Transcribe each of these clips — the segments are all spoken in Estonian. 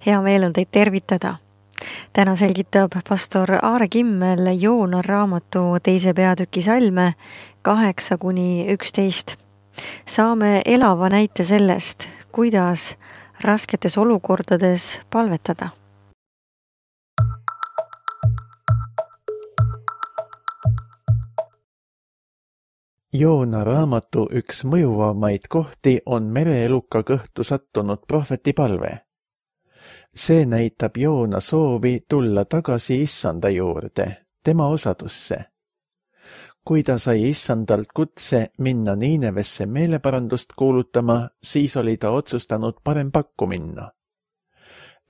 Hea meel on teid tervitada. Täna selgitab pastor Aare Kimmel Joona raamatu 2. peatüki salme 8-11. Saame elava näite sellest, kuidas rasketes olukordades palvetada. Joona raamatu üks mõjuvamaid kohti on mereeluka kõhtu sattunud prohveti palve. See näitab Joona soovi tulla tagasi Issanda juurde, tema osadusse. Kui ta sai Issandalt kutse minna Niinevesse meeleparandust kuulutama, siis oli ta otsustanud parem pakku minna.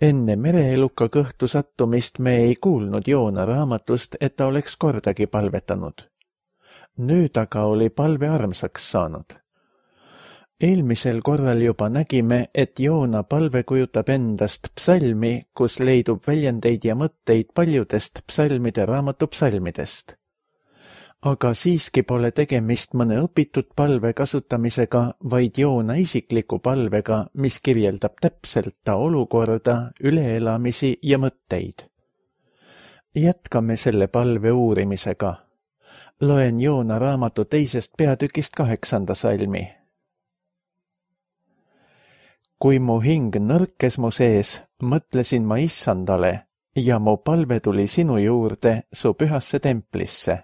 Enne mereeluka kõhtu sattumist me ei kuulnud Joona raamatust, et ta oleks kordagi palvetanud. Nüüd aga oli palve armsaks saanud. Eelmisel korral juba nägime, et Joona palve kujutab endast psalmi, kus leidub väljendeid ja mõtteid paljudest psalmide raamatu psalmidest. Aga siiski pole tegemist mõne õpitud palve kasutamisega, vaid Joona isikliku palvega, mis kirjeldab täpselt ta olukorda, üleelamisi ja mõtteid. Jätkame selle palve uurimisega. Loen Joona raamatu 2. peatükist 8. salmi. Kui mu hing nõrkes mu sees, mõtlesin ma Issandale ja mu palve tuli sinu juurde, su pühasse templisse.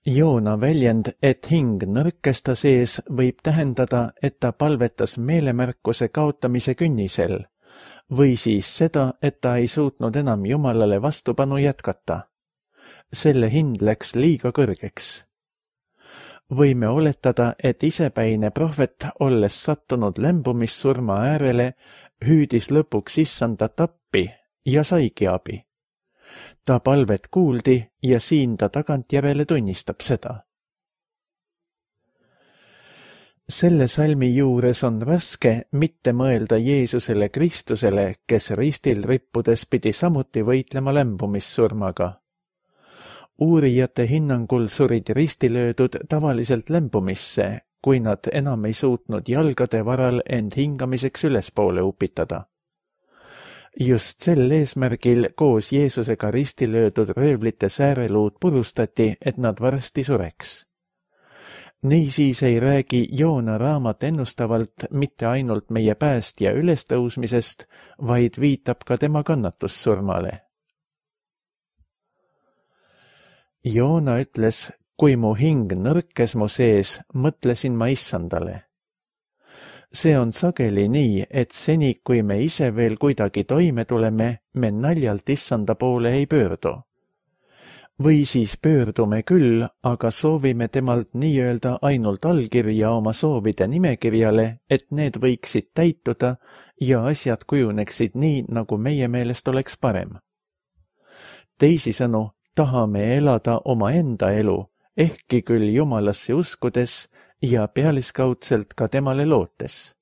Joona väljend, et hing nõrkes ta sees, võib tähendada, et ta palvetas meelemärkuse kaotamise künnisel või siis seda, et ta ei suutnud enam Jumalale vastupanu jätkata. Selle hind läks liiga kõrgeks. Võime oletada, et isepäine prohvet, olles sattunud lämbumissurma äärele, hüüdis lõpuks Issandat appi ja saigi abi. Ta palvet kuuldi ja siin ta tagantjärele tunnistab seda. Selle salmi juures on raske mitte mõelda Jeesusele Kristusele, kes ristil rippudes pidi samuti võitlema lämbumissurmaga. Uurijate hinnangul surid ristilöödud tavaliselt lämbumisse, kui nad enam ei suutnud jalgade varal end hingamiseks ülespoole upitada. Just sel eesmärgil koos Jeesusega ristilöödud röövlite sääreluud purustati, et nad varsti sureks. Niisiis ei räägi Joona raamat ennustavalt mitte ainult meie päästja ülestõusmisest, vaid viitab ka tema kannatussurmale. Joona ütles, kui mu hing nõrkes mu sees, mõtlesin ma Issandale. See on sageli nii, et seni, kui me ise veel kuidagi toime tuleme, me naljalt Issanda poole ei pöördu. Või siis pöördume küll, aga soovime temalt nii-öelda ainult allkirja oma soovide nimekirjale, et need võiksid täituda ja asjad kujuneksid nii, nagu meie meelest oleks parem. Teisisõnu, tahame elada omaenda elu, ehkki küll Jumalasse uskudes ja pealiskaudselt ka temale lootes.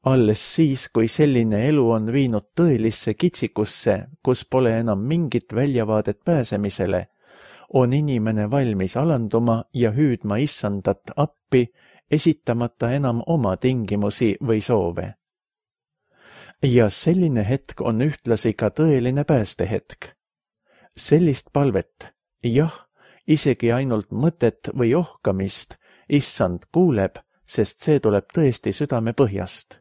Alles siis, kui selline elu on viinud tõelisse kitsikusse, kus pole enam mingit väljavaadet pääsemisele, on inimene valmis alanduma ja hüüdma Issandat appi, esitamata enam oma tingimusi või soove. Ja selline hetk on ühtlasi ka tõeline päästehetk. Sellist palvet, jah, isegi ainult mõtet või ohkamist, Issand kuuleb, sest see tuleb tõesti südame põhjast.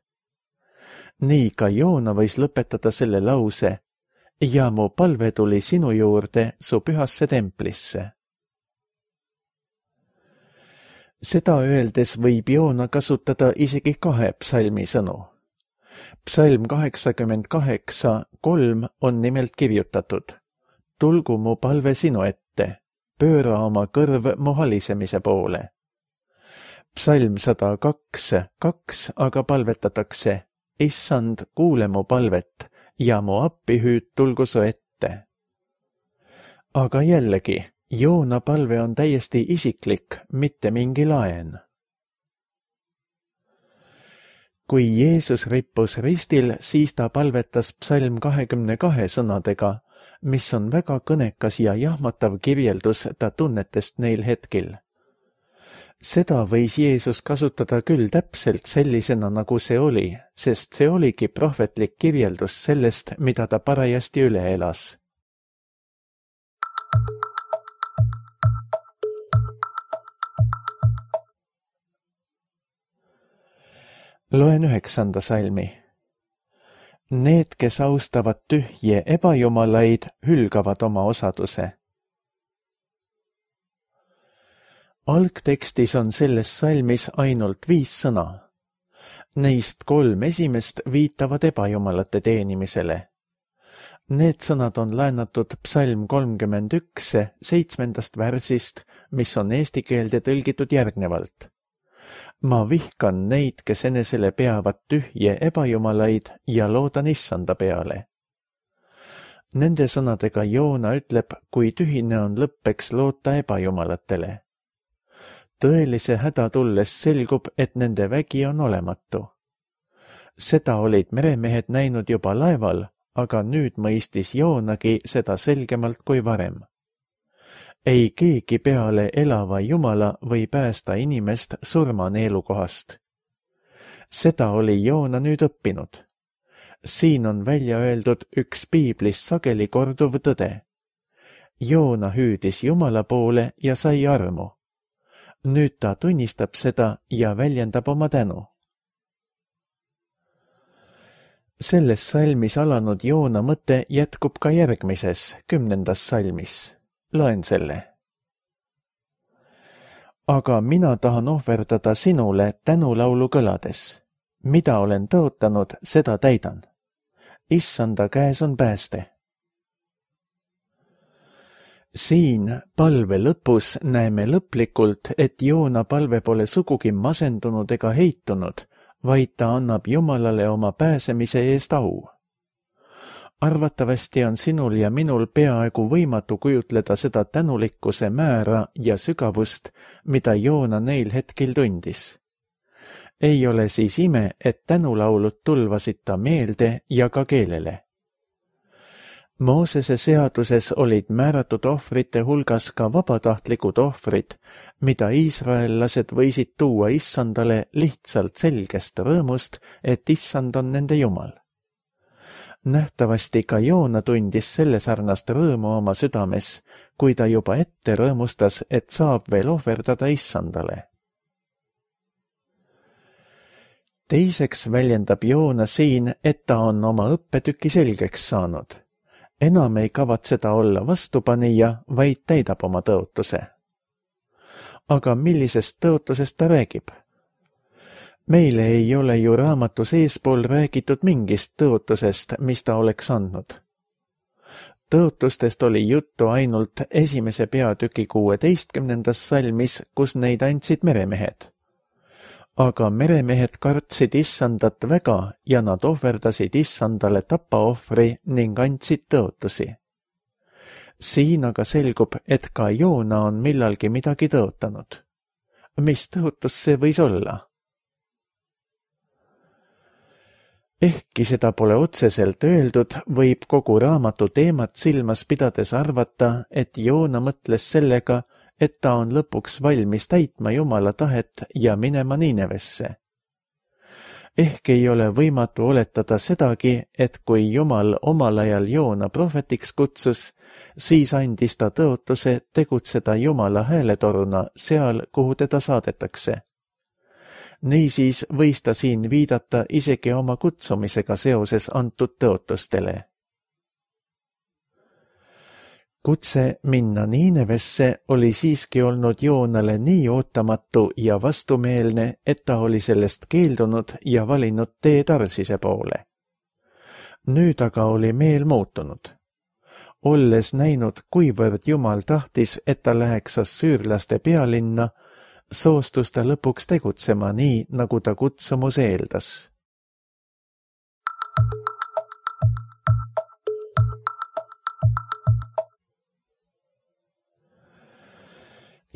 Nii ka Joona võis lõpetada selle lause ja mu palve tuli sinu juurde, su pühasse templisse. Seda öeldes võib Joona kasutada isegi 2 psalmi sõnu. Psalm 88:3 on nimelt kirjutatud. Tulgu mu palve sinu ette, pööra oma kõrv mu halisemise poole. Psalm 102:2 aga palvetatakse, Issand, kuule mu palvet ja mu appihüüd tulgu su ette. Aga jällegi, Joona palve on täiesti isiklik, mitte mingi laen. Kui Jeesus rippus ristil, siis ta palvetas psalm 22 sõnadega, mis on väga kõnekas ja jahmatav kirjeldus ta tunnetest neil hetkil. Seda võis Jeesus kasutada küll täpselt sellisena, nagu see oli, sest see oligi prohvetlik kirjeldus sellest, mida ta parajasti üle elas. Loen 9. salmi. Need, kes austavad tühje ebajumalaid, hülgavad oma osaduse. Algtekstis on selles salmis ainult 5 sõna. Neist 3 esimest viitavad ebajumalate teenimisele. Need sõnad on laenatud psalm 31 7. värsist, mis on eesti keelde tõlgitud järgnevalt. Ma vihkan neid, kes enesele peavad tühje ebajumalaid ja loodan issanda peale. Nende sõnadega Joona ütleb, kui tühine on lõppeks loota ebajumalatele. Tõelise häda tulles selgub, et nende vägi on olematu. Seda olid meremehed näinud juba laeval, aga nüüd mõistis Joonagi seda selgemalt kui varem. Ei keegi peale elava Jumala või päästa inimest surmaneelukohast. Seda oli Joona nüüd õppinud. Siin on välja öeldud üks piiblis sageli korduv tõde. Joona hüüdis Jumala poole ja sai armu. Nüüd ta tunnistab seda ja väljendab oma tänu. Selles salmis alanud Joona mõte jätkub ka järgmises, 10. salmis. Loen selle. Aga mina tahan ohverdada sinule tänulaulu kõlades. Mida olen tõotanud, seda täidan. Issanda käes on pääste. Siin palve lõpus näeme lõplikult, et Joona palve pole sugugi masendunud ega heitunud, vaid ta annab Jumalale oma pääsemise eest au. Arvatavasti on sinul ja minul peaaegu võimatu kujutleda seda tänulikkuse määra ja sügavust, mida Joona neil hetkel tundis. Ei ole siis ime, et tänulaulud tulvasid ta meelde ja ka keelele. Moosese seaduses olid määratud ohvrite hulgas ka vabatahtlikud ohvrid, mida iisraellased võisid tuua issandale lihtsalt selgest rõõmust, et issand on nende Jumal. Nähtavasti ka Joona tundis selle sarnast rõõmu oma südames, kui ta juba ette rõõmustas, et saab veel ohverdada issandale. Teiseks väljendab Joona siin, et ta on oma õppetüki selgeks saanud. Enam ei kavatseda olla vastupanija, vaid täidab oma tõotuse. Aga millisest tõotusest ta räägib? Meile ei ole ju raamatus eespool räägitud mingist tõotusest, mis ta oleks andnud. Tõotustest oli juttu ainult 1. peatüki 16. salmis, kus neid andsid meremehed. Aga meremehed kartsid issandat väga ja nad ohverdasid issandale tapaohvri ning andsid tõotusi. Siin aga selgub, et ka Joona on millalgi midagi tõotanud. Mis tõotus see võis olla? Ehkki seda pole otseselt öeldud, võib kogu raamatu teemat silmas pidades arvata, et Joona mõtles sellega, et ta on lõpuks valmis täitma Jumala tahet ja minema Niinevesse. Ehk ei ole võimatu oletada sedagi, et kui Jumal omal ajal Joona prohvetiks kutsus, siis andis ta tõotuse tegutseda Jumala hääletoruna seal, kuhu teda saadetakse. Niisiis võis ta siin viidata isegi oma kutsumisega seoses antud tõotustele. Kutse minna Niinevesse oli siiski olnud Joonale nii ootamatu ja vastumeelne, et ta oli sellest keeldunud ja valinud tee Tarsise poole. Nüüd aga oli meel muutunud. Olles näinud, kuivõrd Jumal tahtis, et ta läheks assüürlaste pealinna, soostus ta lõpuks tegutsema nii, nagu ta kutsumus eeldas.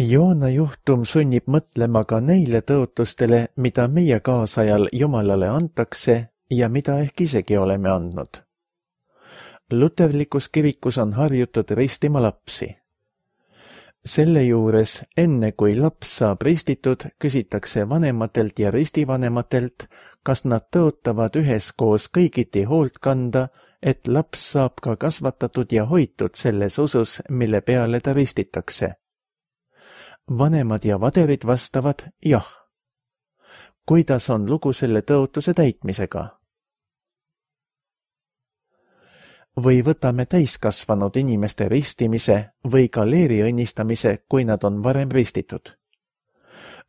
Joona juhtum sunnib mõtlema ka neile tõotustele, mida meie kaasajal Jumalale antakse ja mida ehk isegi oleme andnud. Luterlikus kirikus on harjutud ristima lapsi. Selle juures, enne kui laps saab ristitud, küsitakse vanematelt ja ristivanematelt, kas nad tõotavad üheskoos kõigiti hoolt kanda, et laps saab ka kasvatatud ja hoitud selles usus, mille peale ta ristitakse. Vanemad ja vaderid vastavad jah. Kuidas on lugu selle tõotuse täitmisega? Või võtame täiskasvanud inimeste ristimise või ka leeri õnnistamise, kui nad on varem ristitud.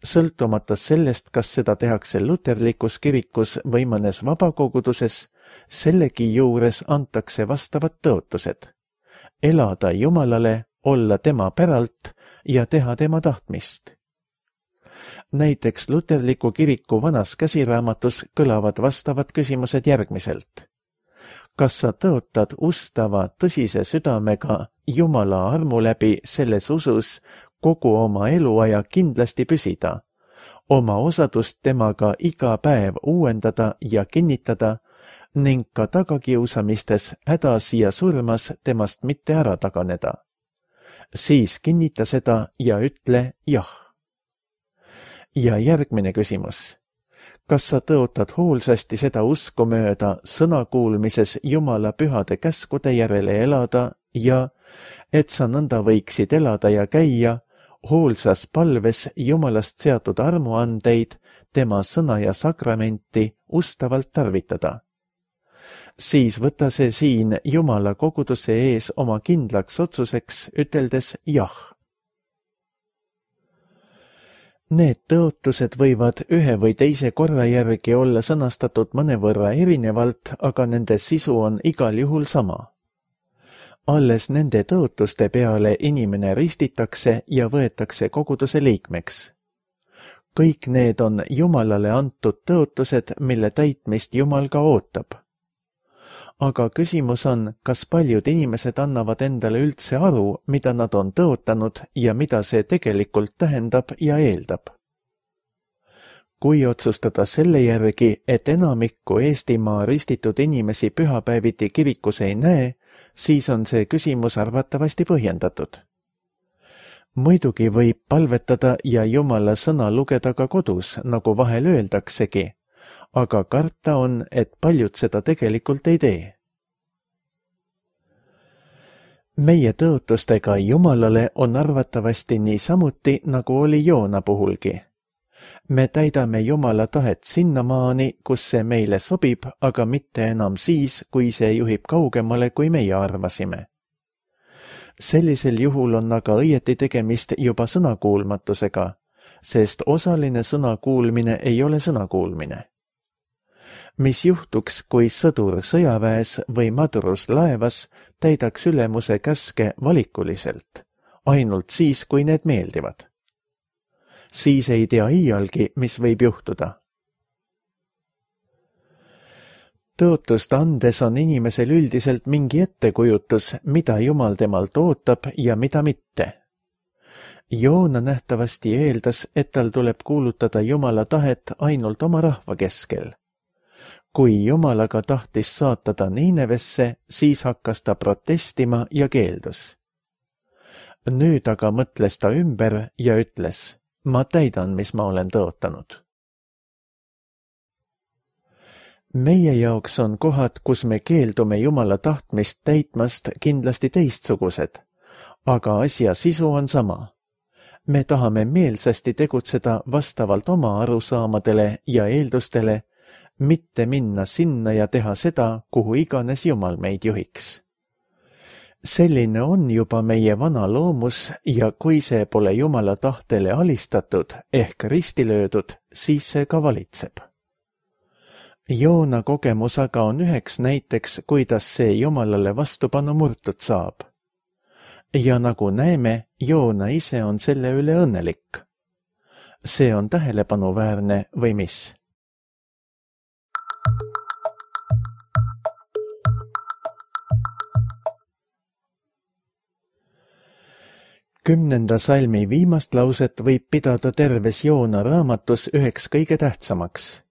Sõltumata sellest, kas seda tehakse luterlikus kirikus või mõnes vabakoguduses, sellegi juures antakse vastavad tõotused. Elada Jumalale, olla tema päralt ja teha tema tahtmist. Näiteks luterliku kiriku vanas käsiraamatus kõlavad vastavad küsimused järgmiselt. Kas sa tõotad ustava tõsise südamega Jumala armu läbi selles usus kogu oma eluaja kindlasti püsida, oma osadust temaga iga päev uuendada ja kinnitada ning ka tagakiusamistes, hädas ja surmas temast mitte ära taganeda? Siis kinnita seda ja ütle jah. Ja järgmine küsimus. Kas sa tõotad hoolsasti seda usku mööda sõnakuulmises Jumala pühade käskude järele elada ja et sa nõnda võiksid elada ja käia, hoolsas palves Jumalast seatud armuandeid, tema sõna ja sakramenti ustavalt tarvitada? Siis võta see siin Jumala koguduse ees oma kindlaks otsuseks, üteldes jah. Need tõotused võivad ühe või teise korra järgi olla sõnastatud mõnevõrra erinevalt, aga nende sisu on igal juhul sama. Alles nende tõotuste peale inimene ristitakse ja võetakse koguduse liikmeks. Kõik need on Jumalale antud tõotused, mille täitmist Jumal ka ootab. Aga küsimus on, kas paljud inimesed annavad endale üldse aru, mida nad on tõotanud ja mida see tegelikult tähendab ja eeldab. Kui otsustada selle järgi, et enamikku Eestimaa ristitud inimesi pühapäeviti kirikus ei näe, siis on see küsimus arvatavasti põhjendatud. Muidugi võib palvetada ja Jumala sõna lugeda ka kodus, nagu vahel öeldaksegi, aga karta on, et paljud seda tegelikult ei tee. Meie tõotustega Jumalale on arvatavasti niisamuti, nagu oli Joona puhulgi. Me täidame Jumala tahet sinnamaani, kus see meile sobib, aga mitte enam siis, kui see juhib kaugemale, kui meie arvasime. Sellisel juhul on aga õieti tegemist juba sõnakuulmatusega, sest osaline sõnakuulmine ei ole sõnakuulmine. Mis juhtuks, kui sõdur sõjaväes või madrus laevas täidaks ülemuse käske valikuliselt, ainult siis, kui need meeldivad? Siis ei tea iialgi, mis võib juhtuda. Tõotust andes on inimesel üldiselt mingi ettekujutus, mida Jumal temalt ootab ja mida mitte. Joona nähtavasti eeldas, et tal tuleb kuulutada Jumala tahet ainult oma rahva keskel. Kui Jumal aga tahtis saata ta Niinevesse, siis hakkas ta protestima ja keeldus. Nüüd aga mõtles ta ümber ja ütles, ma täidan, mis ma olen tõotanud. Meie jaoks on kohad, kus me keeldume Jumala tahtmist täitmast kindlasti teistsugused, aga asja sisu on sama. Me tahame meelsasti tegutseda vastavalt oma arusaamadele ja eeldustele, mitte minna sinna ja teha seda, kuhu iganes Jumal meid juhiks. Selline on juba meie vana loomus ja kui see pole Jumala tahtele alistatud ehk risti löödud, siis see ka valitseb. Joona kogemus aga on üheks näiteks, kuidas see Jumalale vastupanu murtud saab. Ja nagu näeme, Joona ise on selle üle õnnelik. See on tähelepanuväärne või mis? 10. salmi viimast lauset võib pidada terves Joona raamatus üheks kõige tähtsamaks.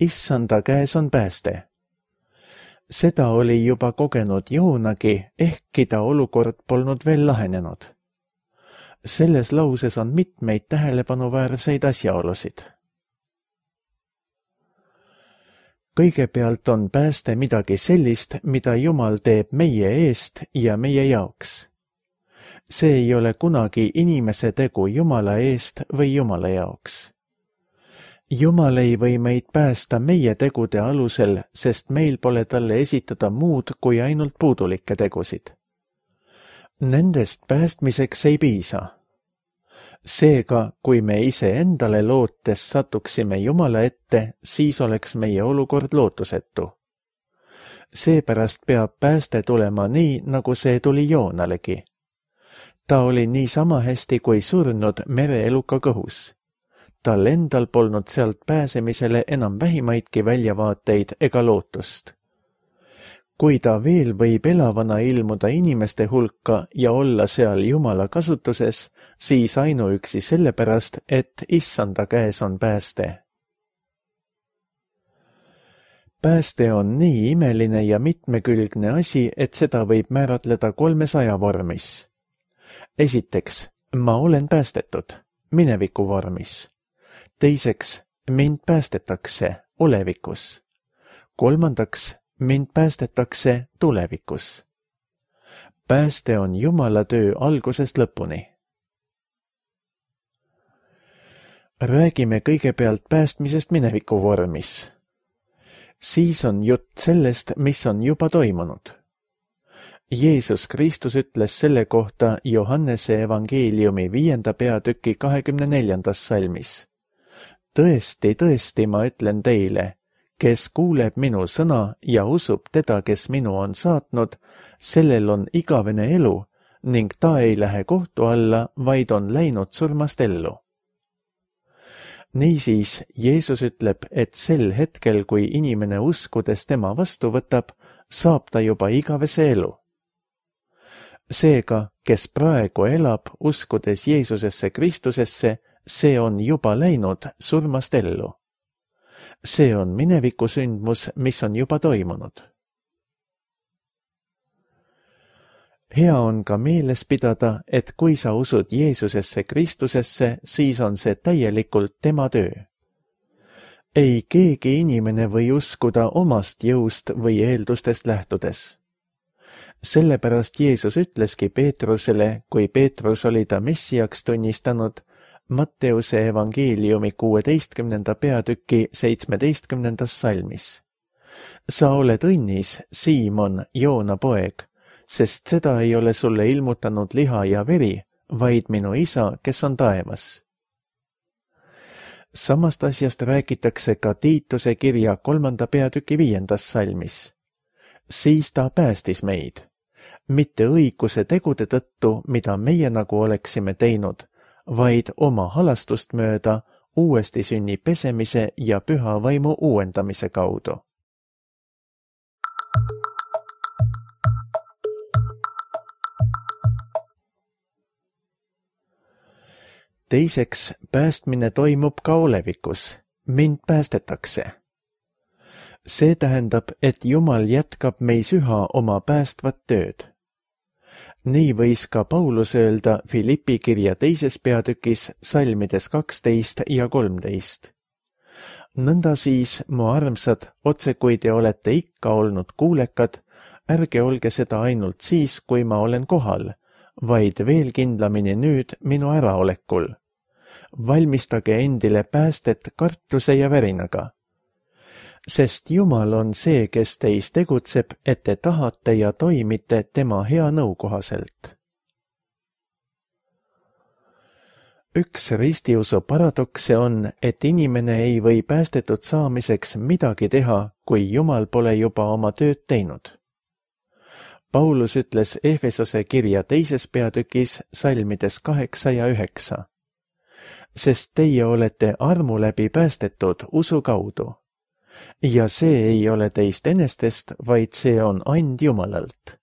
Issanda käes on pääste. Seda oli juba kogenud Joonagi, ehkki ta olukord polnud veel lahenenud. Selles lauses on mitmeid tähelepanuväärseid asjaolusid. Kõigepealt on pääste midagi sellist, mida Jumal teeb meie eest ja meie jaoks. See ei ole kunagi inimese tegu Jumala eest või Jumala jaoks. Jumal ei või meid päästa meie tegude alusel, sest meil pole talle esitada muud kui ainult puudulikke tegusid. Nendest päästmiseks ei piisa. Seega, kui me ise endale lootes satuksime Jumala ette, siis oleks meie olukord lootusetu. Seepärast peab pääste tulema nii, nagu see tuli Joonalegi. Ta oli niisama hästi kui surnud mereeluka kõhus. Tal endal polnud sealt pääsemisele enam vähimaidki väljavaateid ega lootust. Kui ta veel võib elavana ilmuda inimeste hulka ja olla seal Jumala kasutuses, siis ainuüksi sellepärast, et Issanda käes on pääste. Pääste on nii imeline ja mitmekülgne asi, et seda võib määratleda 300 vormis. Esiteks, ma olen päästetud, mineviku vormis. Teiseks, mind päästetakse, olevikus. Kolmandaks, mind päästetakse tulevikus. Pääste on Jumala töö algusest lõpuni. Räägime kõigepealt päästmisest mineviku vormis. Siis on jutt sellest, mis on juba toimunud. Jeesus Kristus ütles selle kohta Johannese evangeeliumi 5. peatüki 24. salmis. Tõesti, tõesti, ma ütlen teile, kes kuuleb minu sõna ja usub teda, kes minu on saatnud, sellel on igavene elu ning ta ei lähe kohtu alla, vaid on läinud surmast ellu. Niisiis, Jeesus ütleb, et sel hetkel, kui inimene uskudes tema vastu võtab, saab ta juba igavese elu. Seega, kes praegu elab, uskudes Jeesusesse Kristusesse, see on juba läinud surmast ellu. See on mineviku sündmus, mis on juba toimunud. Hea on ka meeles pidada, et kui sa usud Jeesusesse Kristusesse, siis on see täielikult tema töö. Ei keegi inimene või uskuda omast jõust või eeldustest lähtudes. Sellepärast Jeesus ütleski Peetrusele, kui Peetrus oli ta Messiaks tunnistanud, Matteuse evangeeliumi 16. peatüki 17. salmis. Sa oled õnnis, Siimon, Joona poeg, sest seda ei ole sulle ilmutanud liha ja veri, vaid minu isa, kes on taevas. Samast asjast räägitakse ka Tiituse kirja 3. peatüki 5. salmis. Siis ta päästis meid, mitte õiguse tegude tõttu, mida meie nagu oleksime teinud, vaid oma halastust mööda uuesti sünni pesemise ja püha vaimu uuendamise kaudu. Teiseks, päästmine toimub ka olevikus. Mind päästetakse. See tähendab, et Jumal jätkab meis üha oma päästvat tööd. Nii võis ka Paulus öelda Filippi kirja 2. peatükis salmides 12 ja 13. Nõnda siis, mu armsad, otse kui te olete ikka olnud kuulekad, ärge olge seda ainult siis, kui ma olen kohal, vaid veel kindlamini nüüd minu äraolekul. Valmistage endile päästet kartuse ja värinaga. Sest Jumal on see, kes teis tegutseb, et te tahate ja toimite tema hea nõu kohaselt. Üks ristiusu paradokse on, et inimene ei või päästetud saamiseks midagi teha, kui Jumal pole juba oma tööd teinud. Paulus ütles Efesose kirja 2. peatükis salmides 8 ja 9. Sest teie olete armu läbi päästetud usu kaudu. Ja see ei ole teist enestest, vaid see on and Jumalalt.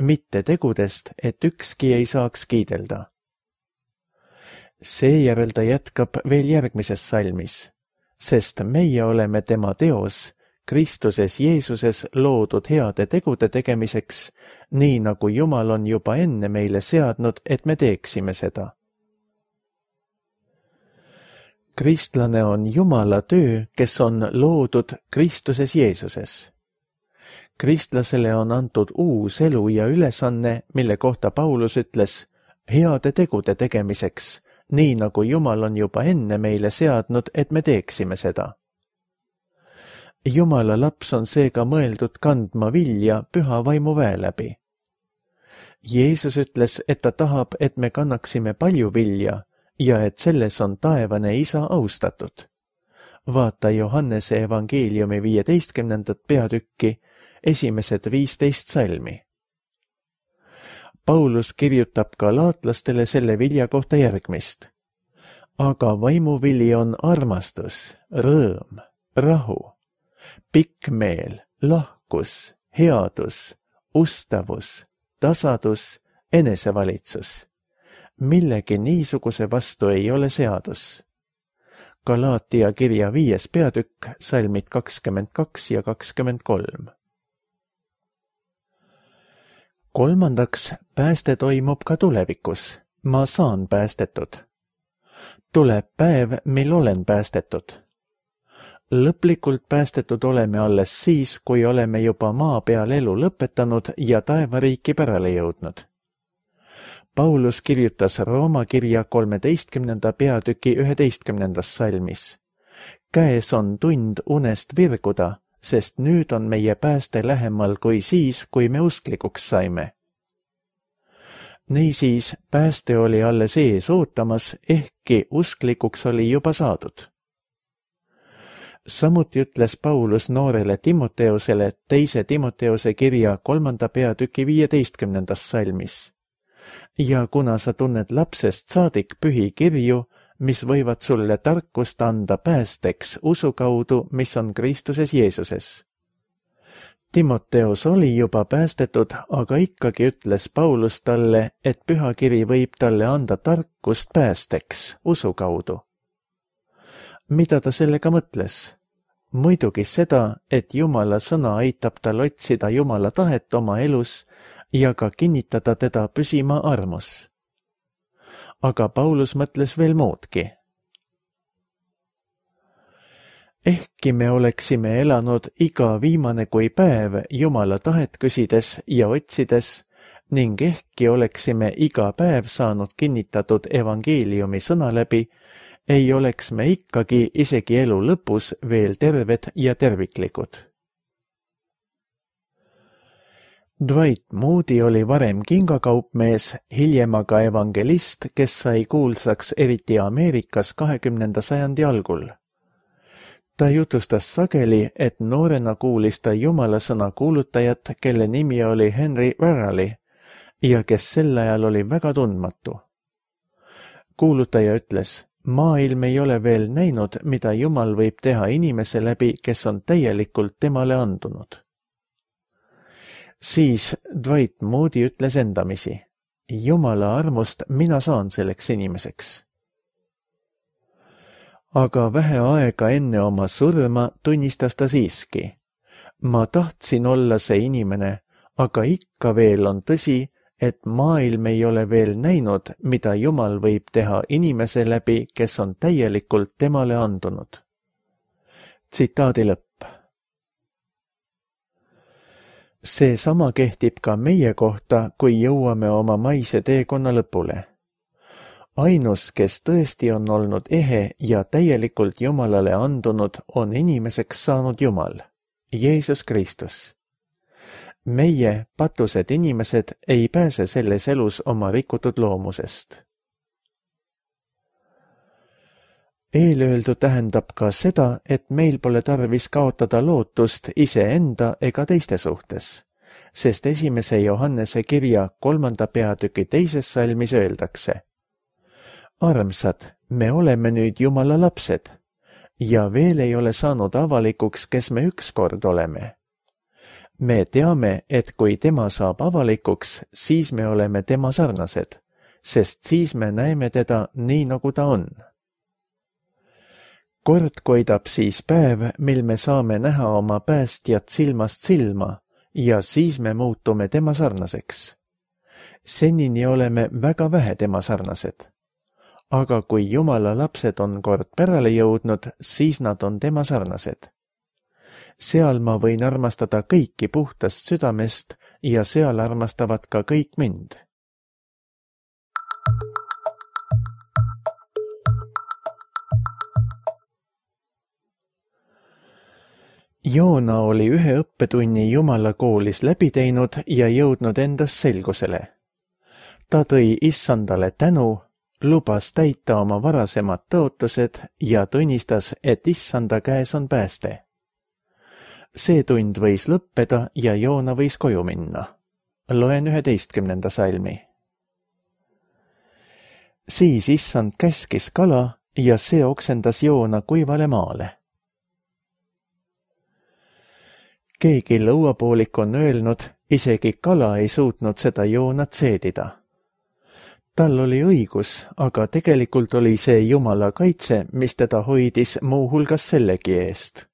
Mitte tegudest, et ükski ei saaks kiidelda. Seejärel ta jätkab veel järgmises salmis. Sest meie oleme tema teos, Kristuses Jeesuses loodud heade tegude tegemiseks, nii nagu Jumal on juba enne meile seadnud, et me teeksime seda. Kristlane on Jumala töö, kes on loodud Kristuses Jeesuses. Kristlasele on antud uus elu ja ülesanne, mille kohta Paulus ütles heade tegude tegemiseks, nii nagu Jumal on juba enne meile seadnud, et me teeksime seda. Jumala laps on seega mõeldud kandma vilja püha vaimu väe läbi. Jeesus ütles, et ta tahab, et me kannaksime palju vilja ja et selles on taevane isa austatud. Vaata Johannese evangeeliumi 15. peatükki, esimesed 15 salmi. Paulus kirjutab galaatlastele selle vilja kohta järgmist. Aga vaimuvili on armastus, rõõm, rahu, pikk meel, lahkus, headus, ustavus, tasadus, enesevalitsus. Millegi niisuguse vastu ei ole seadus. Galaatia kirja 5. peatükk, salmid 22 ja 23. Kolmandaks, pääste toimub ka tulevikus. Ma saan päästetud. Tuleb päev, mil olen päästetud. Lõplikult päästetud oleme alles siis, kui oleme juba maa peal elu lõpetanud ja taevariiki pärale jõudnud. Paulus kirjutas Rooma kirja 13. peatüki 11. salmis. Käes on tund unest virguda, sest nüüd on meie pääste lähemal kui siis, kui me usklikuks saime. Niisiis, pääste oli alles ees ootamas, ehkki usklikuks oli juba saadud. Samuti ütles Paulus noorele Timoteusele 2. Timoteuse kirja 3. peatüki 15. salmis. Ja kuna sa tunned lapsest saadik pühi kirju, mis võivad sulle tarkust anda päästeks usu kaudu, mis on Kristuses Jeesuses. Timoteus oli juba päästetud, aga ikkagi ütles Paulus talle, et pühakiri võib talle anda tarkust päästeks usu kaudu. Mida ta sellega mõtles? Muidugi seda, et Jumala sõna aitab tal otsida Jumala tahet oma elus ja ka kinnitada teda püsima armus. Aga Paulus mõtles veel muudki. Ehkki me oleksime elanud iga viimane kui päev Jumala tahet küsides ja otsides ning ehkki oleksime iga päev saanud kinnitatud evangeeliumi sõna läbi, ei oleks me ikkagi isegi elu lõpus veel terved ja terviklikud. Dwight Moody oli varem kingakaupmees, hiljem aga evangelist, kes sai kuulsaks eriti Ameerikas 20. sajandi algul. Ta jutustas sageli, et noorena kuulis ta Jumala sõna kuulutajat, kelle nimi oli Henry Varrali ja kes sel ajal oli väga tundmatu. Kuulutaja ütles, maailm ei ole veel näinud, mida Jumal võib teha inimese läbi, kes on täielikult temale andunud. Siis Dwight Moody ütles endamisi, Jumala armust mina saan selleks inimeseks. Aga vähe aega enne oma surma tunnistas ta siiski. Ma tahtsin olla see inimene, aga ikka veel on tõsi, et maailm ei ole veel näinud, mida Jumal võib teha inimese läbi, kes on täielikult temale andunud. Tsitaadi lõpp. See sama kehtib ka meie kohta, kui jõuame oma maise teekonna lõpule. Ainus, kes tõesti on olnud ehe ja täielikult Jumalale andunud, on inimeseks saanud Jumal, Jeesus Kristus. Meie, patused inimesed, ei pääse selles elus oma rikutud loomusest. Eelöeldu tähendab ka seda, et meil pole tarvis kaotada lootust iseenda ega teiste suhtes, sest 1. Johannese kirja 3. peatüki 2. salmis öeldakse. Armsad, me oleme nüüd Jumala lapsed ja veel ei ole saanud avalikuks, kes me ükskord oleme. Me teame, et kui tema saab avalikuks, siis me oleme tema sarnased, sest siis me näeme teda nii, nagu ta on. Kord koidab siis päev, mil me saame näha oma päästjat silmast silma ja siis me muutume tema sarnaseks. Senini oleme väga vähe tema sarnased. aga kui Jumala lapsed on kord pärale jõudnud, siis nad on tema sarnased. Seal ma võin armastada kõiki puhtast südamest ja seal armastavad ka kõik mind. Joona oli ühe õppetunni Jumala koolis läbi teinud ja jõudnud endas selgusele. Ta tõi Issandale tänu, lubas täita oma varasemad tõotused ja tunnistas, et Issanda käes on pääste. See tund võis lõppeda ja Joona võis koju minna. Loen 11. salmi. Siis Issand käskis kala ja see oksendas Joona kuivale maale. Keegi lõuapoolik on öelnud, isegi kala ei suutnud seda Joonat seedida. Tal oli õigus, aga tegelikult oli see Jumala kaitse, mis teda hoidis muuhulgas sellegi eest.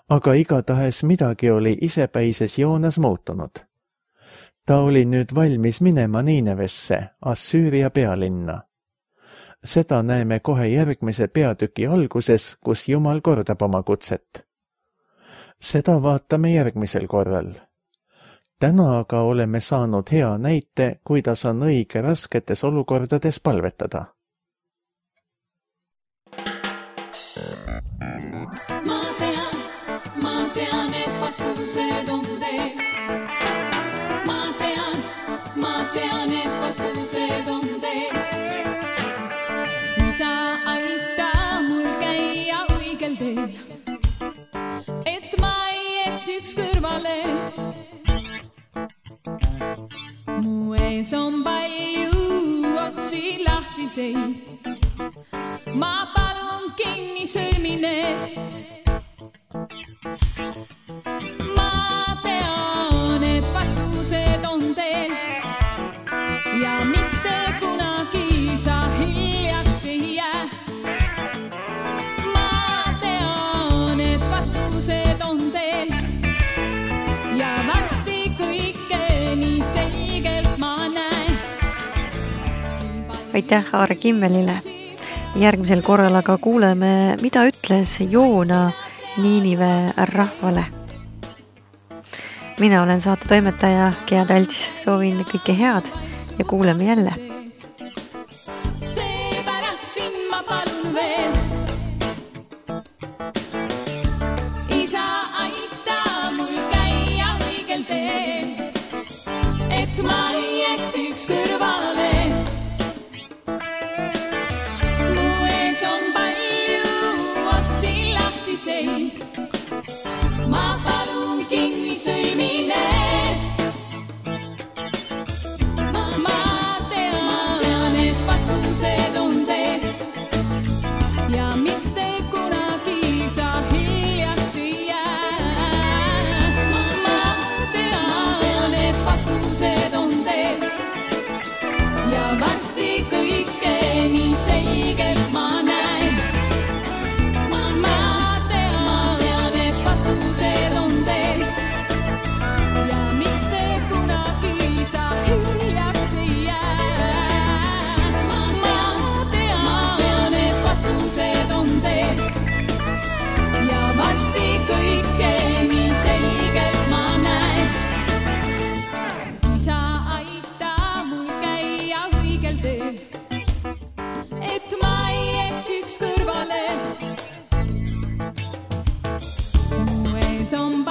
Aga igatahes midagi oli isepäises Joonas muutunud. Ta oli nüüd valmis minema Niinevesse, Assüüria pealinna. Seda näeme kohe järgmise peatüki alguses, kus Jumal kordab oma kutset. Seda vaatame järgmisel korral. Täna aga oleme saanud hea näite, kuidas on õige rasketes olukordades palvetada. Ma tean, et vastused on teil. Ma tean, et vastused on teil. Isa, aita mul käia õigel teel, et ma ei eksiks kõrvale. Mu ees on palju otsi lahtiseid. Ma palun kinni sõlmine. Ma tean, et vastused on teil ja mitte kunagi sa hiljaks ei jää. Ma tean, et vastused on teil ja varsti kõike nii selgelt ma näen. Aitäh Aare Kimmelile. Järgmisel korral aga kuuleme, mida ütles Joona Niinive rahvale. Mina olen saate toimetaja Gea Talts, soovin kõike head ja kuuleme jälle. Seepärast siin ma palun veel. Isa, aita mul käia õigel teel, et ma ei eksiks kõrvale. Mu ees on palju otsi lahtiseid. Ma palun kinni sõlmine. Ma tean, et vastused on teil ja mitte kunagi sa hiljaks ei jää. Ma tean, et vastused on teil ja varsti kõike nii selgelt ma näen. Ma tean, et vastused on teil ja mitte kunagi sa hiljaks ei jää. Ma tean, et vastused on teil ja varsti kõike nii selgelt ma näen. Isa, aita mul käia õigel teel, et ma ei eksiks kõrvale. Mu ees on